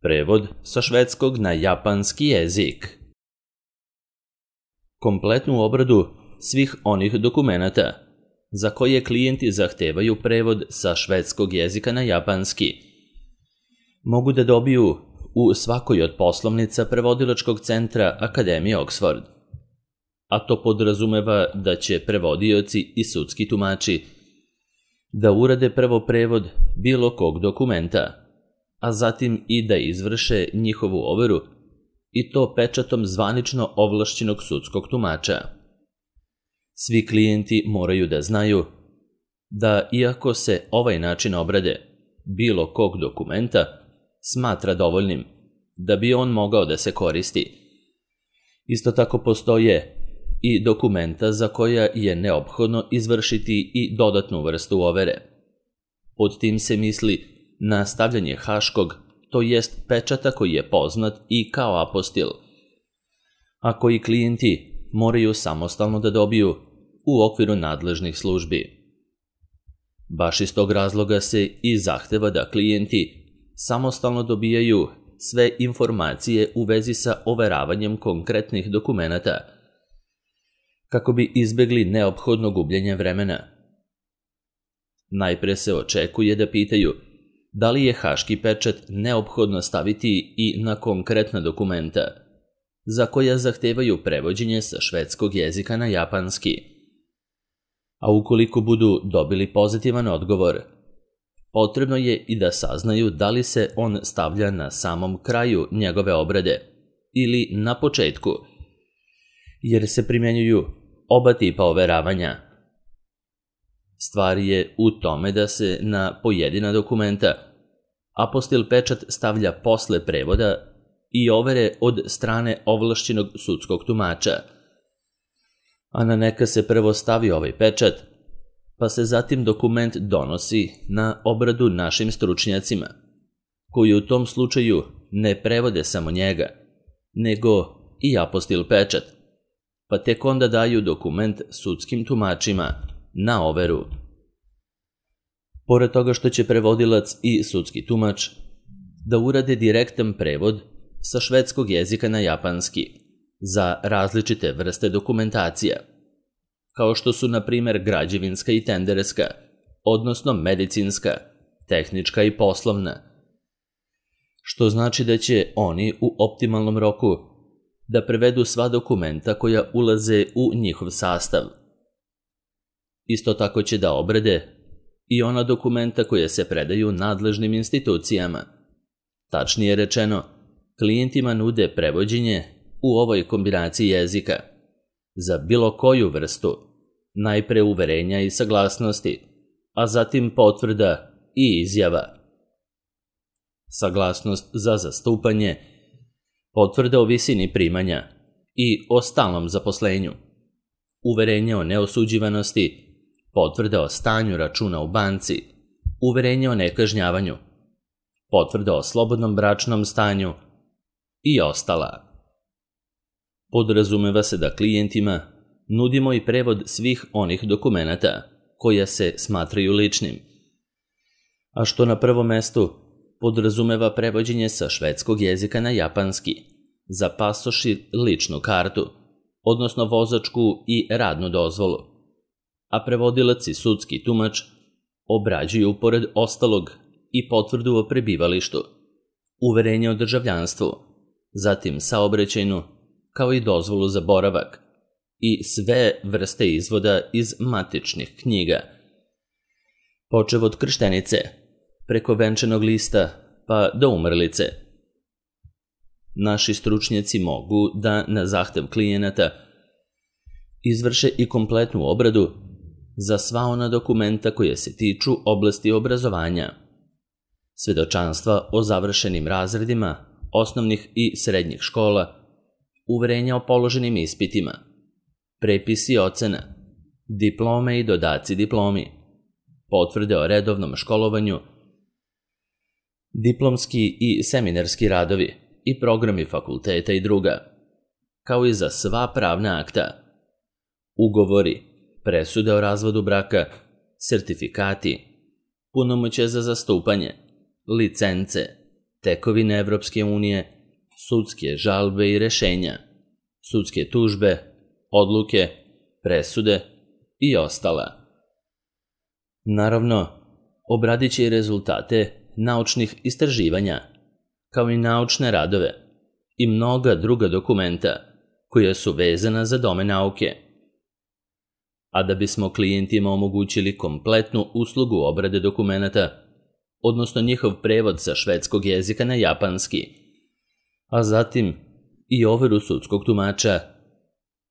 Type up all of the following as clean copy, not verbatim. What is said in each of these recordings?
Prevod sa švedskog na japanski jezik. Kompletnu obradu svih onih dokumenata za koje klijenti zahtevaju prevod sa švedskog jezika na japanski mogu da dobiju u svakoj od poslovnica prevodilačkog centra Akademije Oxford. A to podrazumeva da će prevodioci i sudski tumači da urade prvo prevod bilo kog dokumenta, a zatim i da izvrše njihovu overu, i to pečatom zvanično ovlašćenog sudskog tumača. Svi klijenti moraju da znaju da iako se ovaj način obrade bilo kog dokumenta smatra dovoljnim da bi on mogao da se koristi, isto tako postoje i dokumenta za koja je neophodno izvršiti i dodatnu vrstu overe. Pod tim se misli na stavljanje haškog, to jest pečata koji je poznat i kao apostil, a koji klijenti moraju samostalno da dobiju u okviru nadležnih službi. Baš iz tog razloga se i zahteva da klijenti samostalno dobijaju sve informacije u vezi sa overavanjem konkretnih dokumenata, kako bi izbegli neophodno gubljenje vremena. Najpre se očekuje da pitaju da li je haški pečat neophodno staviti i na konkretna dokumenta, za koja zahtevaju prevođenje sa švedskog jezika na japanski. A ukoliko budu dobili pozitivan odgovor, potrebno je i da saznaju da li se on stavlja na samom kraju njegove obrade ili na početku, jer se primjenjuju oba tipa overavanja. Stvar je u tome da se na pojedina dokumenta apostil pečat stavlja posle prevoda i overe od strane ovlašćenog sudskog tumača, a na neka se prvo stavi ovaj pečat, pa se zatim dokument donosi na obradu našim stručnjacima, koji u tom slučaju ne prevode samo njega, nego i apostil pečat, pa tek onda daju dokument sudskim tumačima na overu. Pored toga što će prevodilac i sudski tumač da urade direktan prevod sa švedskog jezika na japanski za različite vrste dokumentacija, kao što su na primer građevinska i tenderska, odnosno medicinska, tehnička i poslovna, što znači da će oni u optimalnom roku da prevedu sva dokumenta koja ulaze u njihov sastav. Isto tako će da obrade i ona dokumenta koja se predaju nadležnim institucijama. Tačnije rečeno, klijentima nude prevođenje u ovoj kombinaciji jezika za bilo koju vrstu, najpre uverenja i saglasnosti, a zatim potvrda i izjava. Saglasnost za zastupanje, potvrda o visini primanja i o stalnom zaposlenju, uverenje o neosuđivanosti, potvrda o stanju računa u banci, uverenje o nekažnjavanju, potvrda o slobodnom bračnom stanju i ostala. Podrazumeva se da klijentima nudimo i prevod svih onih dokumenata koja se smatraju ličnim, a što na prvom mestu podrazumeva prevođenje sa švedskog jezika na japanski za pasoš i ličnu kartu, odnosno vozačku i radnu dozvolu, a prevodilac i sudski tumač obrađuju pored ostalog i potvrdu o prebivalištu, uverenje o državljanstvu, zatim saobraćajnu, kao i dozvolu za boravak i sve vrste izvoda iz matičnih knjiga, počev od krštenice, preko venčanog lista pa do umrlice. Naši stručnjaci mogu da na zahtev klijenata izvrše i kompletnu obradu za sva ona dokumenta koje se tiču oblasti obrazovanja, svedočanstva o završenim razredima osnovnih i srednjih škola, uverenja o položenim ispitima, prepisi ocena, diplome i dodaci diplomi, potvrde o redovnom školovanju, diplomski i seminarski radovi i programi fakulteta i druga, kao i za sva pravna akta, ugovori, presude o razvodu braka, sertifikati, punomoćje za zastupanje, licence, tekovine Evropske unije, sudske žalbe i rešenja, sudske tužbe, odluke, presude i ostala. Naravno, obradit će i rezultate naučnih istraživanja, kao i naučne radove i mnoga druga dokumenta koja su vezana za domen nauke. A da bismo klijentima omogućili kompletnu uslugu obrade dokumenata, odnosno njihov prevod sa švedskog jezika na japanski, a zatim i overu sudskog tumača,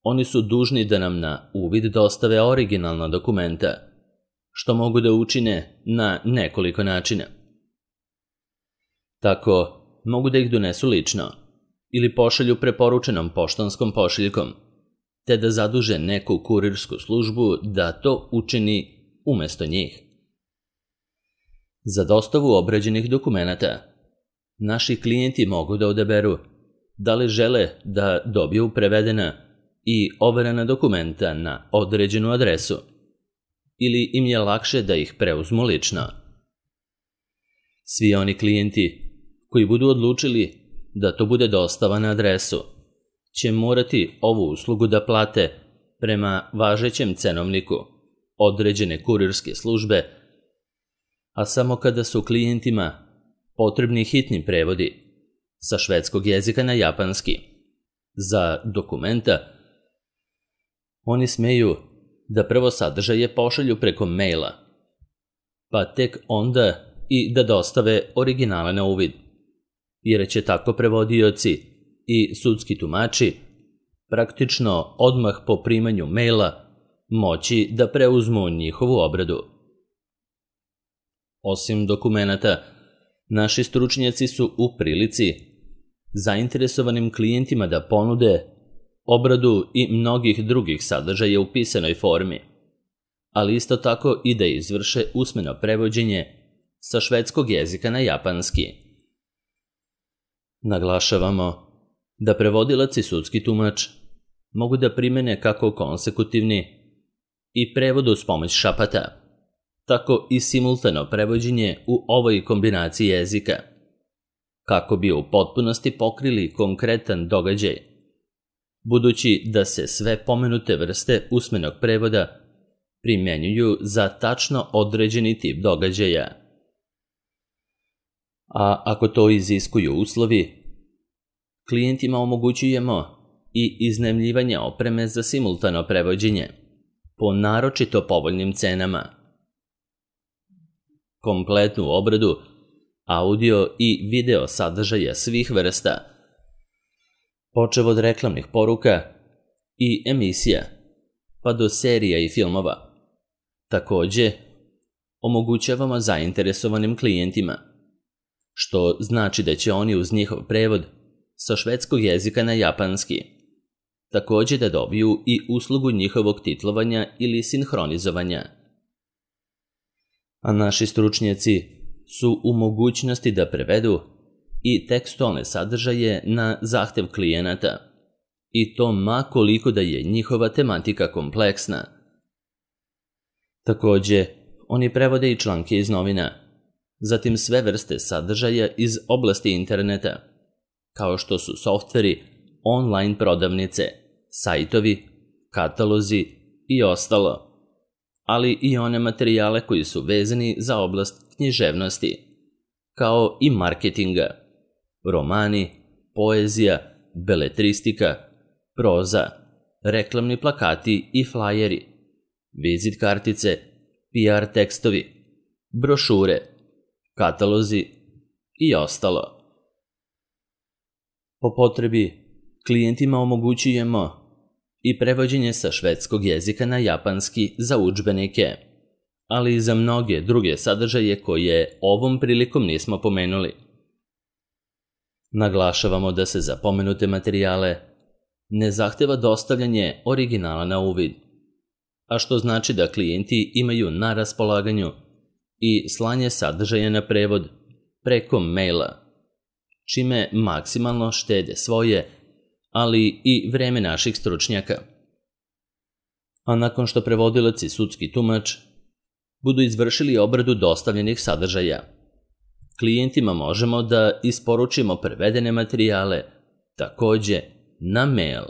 oni su dužni da nam na uvid dostave originalna dokumenta, što mogu da učine na nekoliko načina. Tako, mogu da ih donesu lično ili pošalju preporučenom poštanskom pošiljkom, te da zaduže neku kurirsku službu da to učini umesto njih. Za dostavu obrađenih dokumenata, naši klijenti mogu da odaberu da li žele da dobiju prevedena i overena dokumenta na određenu adresu ili im je lakše da ih preuzmu lično. Svi oni klijenti koji budu odlučili da to bude dostava na adresu će morati ovu uslugu da plate prema važećem cenovniku određene kurirske službe, a samo kada su klijentima potrebni hitni prevodi sa švedskog jezika na japanski za dokumenta, oni smeju da prvo sadržaje pošalju preko maila, pa tek onda i da dostave originale na uvid, jer će tako prevodioci i sudski tumači praktično odmah po primanju maila moći da preuzmu njihovu obradu. Osim dokumenata, naši stručnjaci su u prilici zainteresovanim klijentima da ponude obradu i mnogih drugih sadržaja u pisanoj formi, ali isto tako i da izvrše usmeno prevođenje sa švedskog jezika na japanski. Naglašavamo da prevodilac i sudski tumač mogu da primene kako konsekutivni i prevod uz pomoć šapata, tako i simultano prevođenje u ovoj kombinaciji jezika, kako bi u potpunosti pokrili konkretan događaj, budući da se sve pomenute vrste usmenog prevoda primjenjuju za tačno određeni tip događaja. A ako to iziskuju uslovi, klijentima omogućujemo i iznajmljivanje opreme za simultano prevođenje po naročito povoljnim cenama. Kompletnu obradu audio i video sadržaja svih vrsta, počev od reklamnih poruka i emisija, pa do serija i filmova. Takođe, omogućavamo zainteresovanim klijentima, što znači da će oni uz njihov prevod sa švedskog jezika na japanski takođe da dobiju i uslugu njihovog titlovanja ili sinhronizovanja. A naši stručnjaci su u mogućnosti da prevedu i tekstualne sadržaje na zahtev klijenata, i to ma koliko da je njihova tematika kompleksna. Takođe, oni prevode i članke iz novina, zatim sve vrste sadržaja iz oblasti interneta, kao što su softveri, online prodavnice, sajtovi, katalozi i ostalo, ali i one materijale koji su vezani za oblast književnosti, kao i marketinga, romani, poezija, beletristika, proza, reklamni plakati i flajeri, vizit kartice, PR tekstovi, brošure, katalozi i ostalo. Po potrebi, klijentima omogućujemo i prevođenje sa švedskog jezika na japanski za udžbenike, ali i za mnoge druge sadržaje koje ovom prilikom nismo pomenuli. Naglašavamo da se za pomenute materijale ne zahteva dostavljanje originala na uvid, a što znači da klijenti imaju na raspolaganju i slanje sadržaja na prevod preko maila, čime maksimalno štede svoje, ali i vreme naših stručnjaka. A nakon što prevodilac i sudski tumač budu izvršili obradu dostavljenih sadržaja, klijentima možemo da isporučimo prevedene materijale, takođe na mail.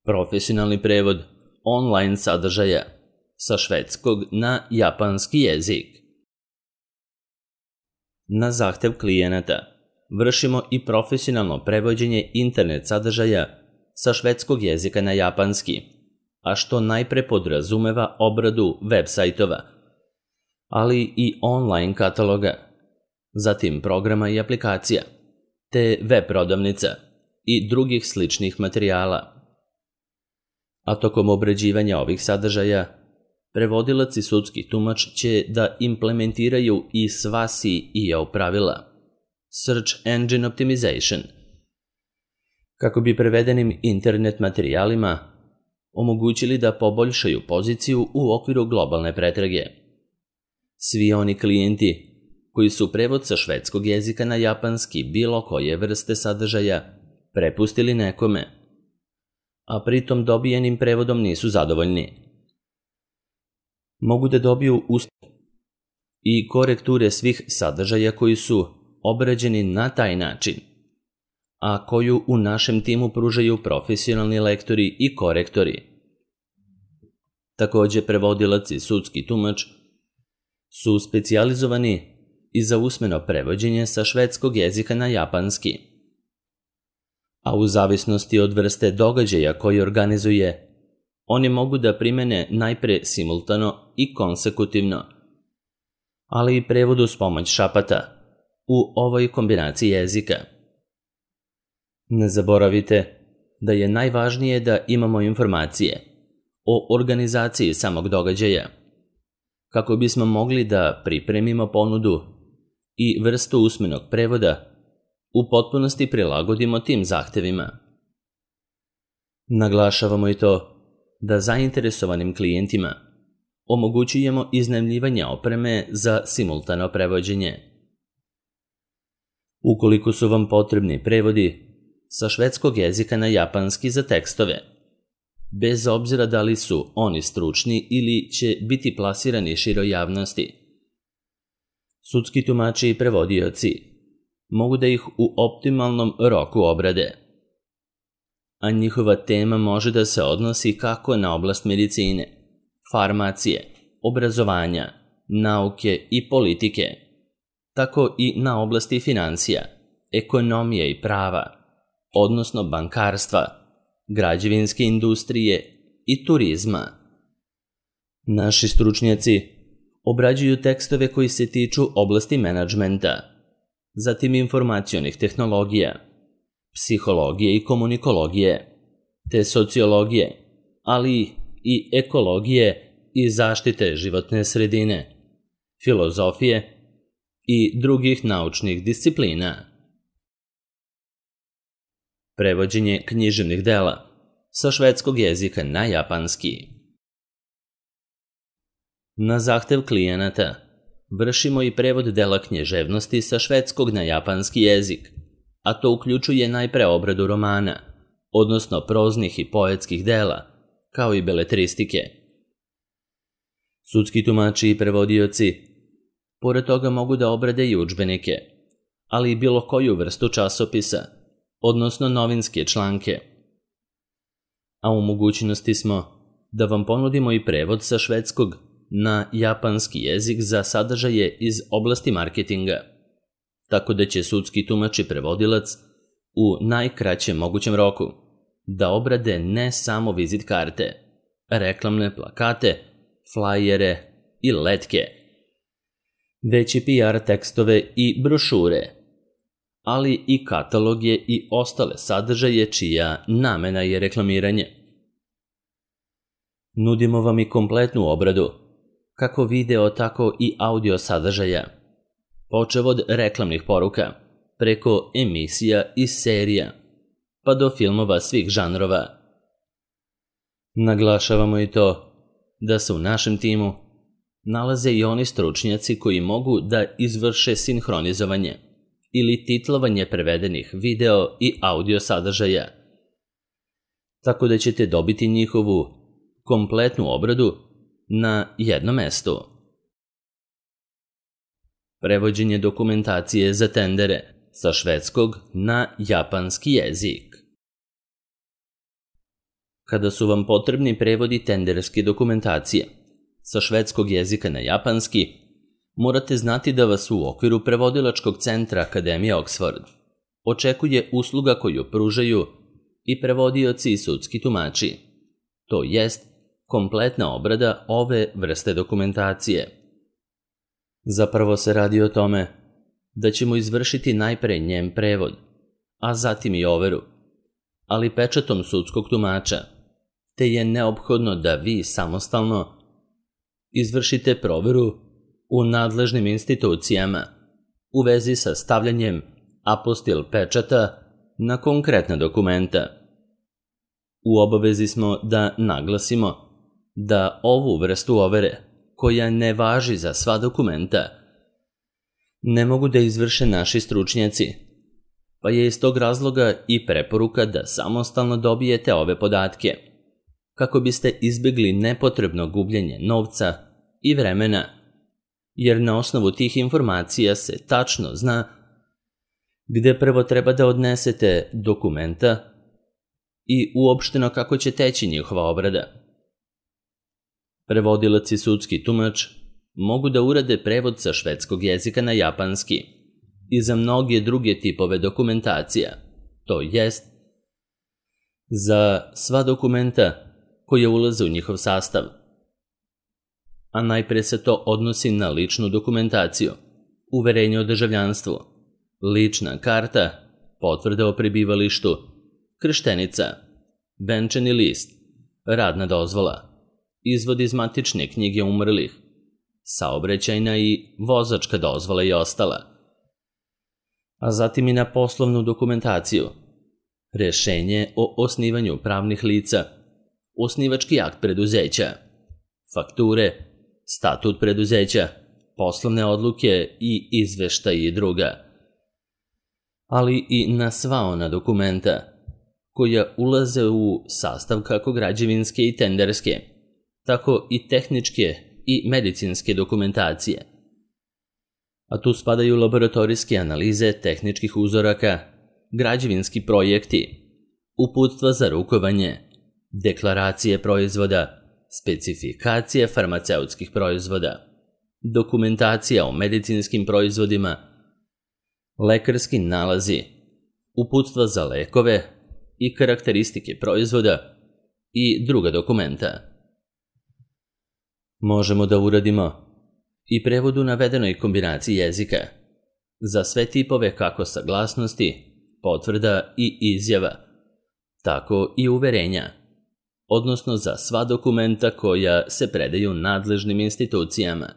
Profesionalni prevod online sadržaja sa švedskog na japanski jezik. Na zahtev klijenata vršimo i profesionalno prevođenje internet sadržaja sa švedskog jezika na japanski, a što najpre podrazumeva obradu web sajtova, ali i online kataloga, zatim programa i aplikacija, te web prodavnica i drugih sličnih materijala. A tokom obrađivanja ovih sadržaja, prevodilac i sudski tumač će da implementiraju i sva SEO pravila, Search Engine Optimization, kako bi prevedenim internet materijalima omogućili da poboljšaju poziciju u okviru globalne pretrage. Svi oni klijenti koji su prevod sa švedskog jezika na japanski bilo koje vrste sadržaja prepustili nekome, a pritom dobijenim prevodom nisu zadovoljni, mogu da dobiju i korekture svih sadržaja koji su obrađeni na taj način, a koju u našem timu pružaju profesionalni lektori i korektori. Takođe, prevodilac i sudski tumač su specijalizovani i za usmeno prevođenje sa švedskog jezika na japanski, a u zavisnosti od vrste događaja koji organizuje, oni mogu da primene najpre simultano i konsekutivno, ali i prevod uz pomoć šapata u ovoj kombinaciji jezika. Ne zaboravite da je najvažnije da imamo informacije o organizaciji samog događaja, kako bismo mogli da pripremimo ponudu i vrstu usmenog prevoda u potpunosti prilagodimo tim zahtevima. Naglašavamo i to da zainteresovanim klijentima omogućujemo iznajmljivanje opreme za simultano prevođenje. Ukoliko su vam potrebni prevodi sa švedskog jezika na japanski za tekstove, bez obzira da li su oni stručni ili će biti plasirani široj javnosti, sudski tumači i prevodioci mogu da ih u optimalnom roku obrade, a njihova tema može da se odnosi kako na oblast medicine, farmacije, obrazovanja, nauke i politike, tako i na oblasti financija, ekonomije i prava, odnosno bankarstva, građevinske industrije i turizma. Naši stručnjaci obrađuju tekstove koji se tiču oblasti menadžmenta, zatim informacionih tehnologija, psihologije i komunikologije, te sociologije, ali i ekologije i zaštite životne sredine, filozofije i drugih naučnih disciplina. Prevođenje književnih dela sa švedskog jezika na japanski. Na zahtev klijenata vršimo i prevod dela književnosti sa švedskog na japanski jezik, a to uključuje najpre obradu romana, odnosno proznih i poetskih dela, kao i beletristike. Sudski tumači i prevodioci pored toga mogu da obrade i udžbenike, ali i bilo koju vrstu časopisa, odnosno novinske članke. A u mogućnosti smo da vam ponudimo i prevod sa švedskog na japanski jezik za sadržaje iz oblasti marketinga, tako da će sudski tumač i prevodilac u najkraćem mogućem roku da obrade ne samo vizit karte, reklamne plakate, flajere i letke, već i PR tekstove i brošure, ali i kataloge i ostale sadržaje čija namena je reklamiranje. Nudimo vam i kompletnu obradu, kako video, tako i audio sadržaja, počev od reklamnih poruka, preko emisija i serija, pa do filmova svih žanrova. Naglašavamo i to da se u našem timu nalaze i oni stručnjaci koji mogu da izvrše sinhronizovanje ili titlovanje prevedenih video i audio sadržaja, tako da ćete dobiti njihovu kompletnu obradu na jednom mestu. prevođenje dokumentacije za tendere sa švedskog na japanski jezik. Kada su vam potrebni prevodi tenderske dokumentacije sa švedskog jezika na japanski, morate znati da vas u okviru prevodilačkog centra Akademije Oxford očekuje usluga koju pružaju i prevodioci i sudski tumači, to jest kompletna obrada ove vrste dokumentacije. Zapravo se radi o tome da ćemo izvršiti najpre njen prevod, a zatim i overu, ali pečatom sudskog tumača, te je neophodno da vi samostalno izvršite proveru u nadležnim institucijama u vezi sa stavljanjem apostil pečata na konkretna dokumenta. U obavezi smo da naglasimo da ovu vrstu overe, koja ne važi za sva dokumenta, ne mogu da izvrše naši stručnjaci, pa je iz tog razloga i preporuka da samostalno dobijete ove podatke, kako biste izbjegli nepotrebno gubljenje novca i vremena, jer na osnovu tih informacija se tačno zna gde prvo treba da odnesete dokumenta i uopšteno kako će teći njihova obrada. Prevodilac i sudski tumač mogu da urade prevod sa švedskog jezika na japanski i za mnoge druge tipove dokumentacija, to jest za sva dokumenta koje ulaze u njihov sastav. A najpre se to odnosi na ličnu dokumentaciju, uverenje o državljanstvu, lična karta, potvrda o prebivalištu, krštenica, venčani list, radna dozvola, izvod iz matične knjige umrlih, saobraćajna i vozačka dozvola i ostala, a zatim i na poslovnu dokumentaciju, rešenje o osnivanju pravnih lica, osnivački akt preduzeća, fakture, statut preduzeća, poslovne odluke i izveštaji i druga, ali i na sva ona dokumenta koja ulaze u sastav kako građevinske i tenderske, tako i tehničke i medicinske dokumentacije. A tu spadaju laboratorijske analize tehničkih uzoraka, građevinski projekti, uputstva za rukovanje, deklaracije proizvoda, specifikacije farmaceutskih proizvoda, dokumentacija o medicinskim proizvodima, lekarski nalazi, uputstva za lekove i karakteristike proizvoda i druga dokumenta. Možemo da uradimo i prevod u navedenoj kombinaciji jezika za sve tipove kako saglasnosti, potvrda i izjava, tako i uverenja, odnosno za sva dokumenta koja se predaju nadležnim institucijama.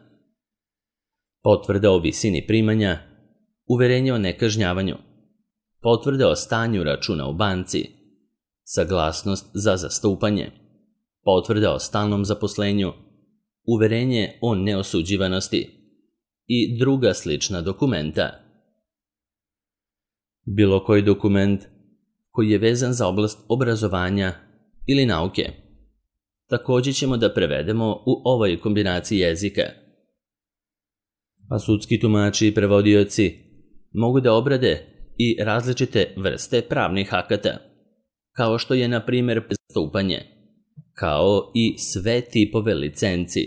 Potvrda o visini primanja, uverenje o nekažnjavanju, potvrda o stanju računa u banci, saglasnost za zastupanje, potvrda o stalnom zaposlenju, uverenje o neosuđivanosti i druga slična dokumenta. Bilo koji dokument koji je vezan za oblast obrazovanja ili nauke također ćemo da prevedemo u ovoj kombinaciji jezika. A sudski tumači i prevodioci mogu da obrade i različite vrste pravnih akata, kao što je, na primjer, zastupanje, kao i sve tipove licenci,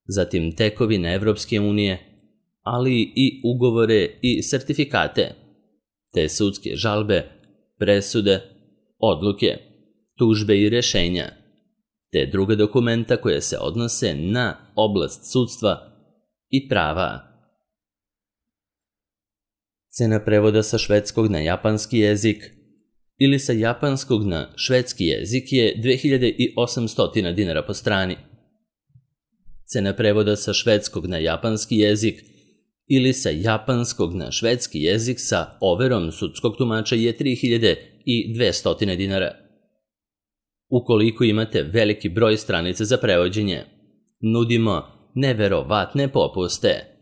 zatim tekovine Evropske unije, ali i ugovore i sertifikate, te sudske žalbe, presude, odluke, tužbe i rešenja, te druga dokumenta koje se odnose na oblast sudstva i prava. Cena prevoda sa švedskog na japanski jezik ili sa japanskog na švedski jezik je 2800 dinara po strani. Cena prevoda sa švedskog na japanski jezik ili sa japanskog na švedski jezik sa overom sudskog tumača je 3200 dinara. Ukoliko imate veliki broj stranica za prevođenje, nudimo neverovatne popuste.